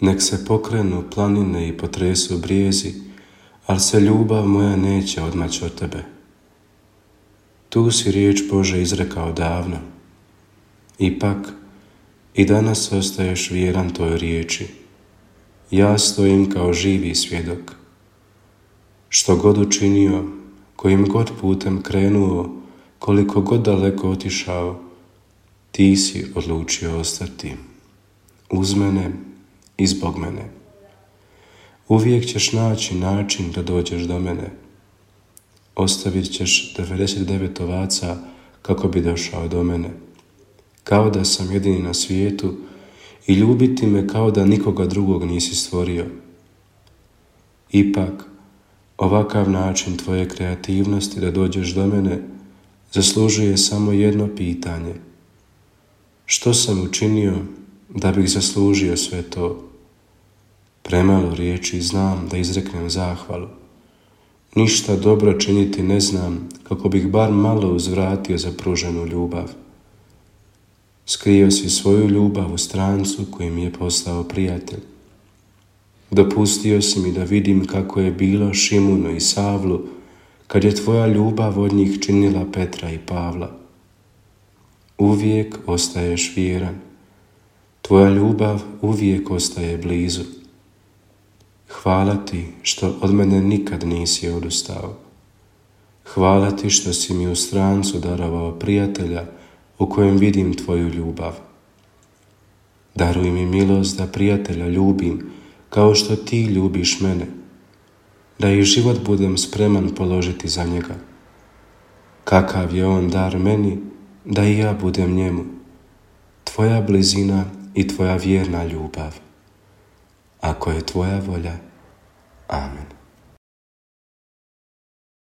Nek se pokrenu planine i potresu brijezi, ali se ljubav moja neće odmaći od tebe. Tu si riječ Bože izrekao davno. Ipak, i danas ostaješ vjeran toj riječi. Ja stojim kao živi svjedok. Što god učinio, kojim god putem krenuo, koliko god daleko otišao, ti si odlučio ostati. Uz mene i zbog mene. Uvijek ćeš naći način da dođeš do mene. Ostavit ćeš 99 ovaca kako bi došao do mene. Kao da sam jedini na svijetu i ljubiti me kao da nikoga drugog nisi stvorio. Ipak, ovakav način tvoje kreativnosti da dođeš do mene zaslužuje samo jedno pitanje. Što sam učinio da bih zaslužio sve to? Premalo riječi znam da izreknem zahvalu. Ništa dobro činiti ne znam kako bih bar malo uzvratio za pruženu ljubav. Skrio si svoju ljubav u strancu koji mi je postao prijatelj. Dopustio si mi da vidim kako je bilo Šimunu i Savlu kad je tvoja ljubav od njih činila Petra i Pavla. Uvijek ostaješ vjeran. Tvoja ljubav uvijek ostaje blizu. Hvala ti što od mene nikad nisi odustao. Hvala ti što si mi u strancu darovao prijatelja u kojem vidim tvoju ljubav. Daruj mi milost da prijatelja ljubim kao što ti ljubiš mene, da i život budem spreman položiti za njega. Kakav je on dar meni, da i ja budem njemu, tvoja blizina i tvoja vjerna ljubav. Ako je tvoja volja, amen.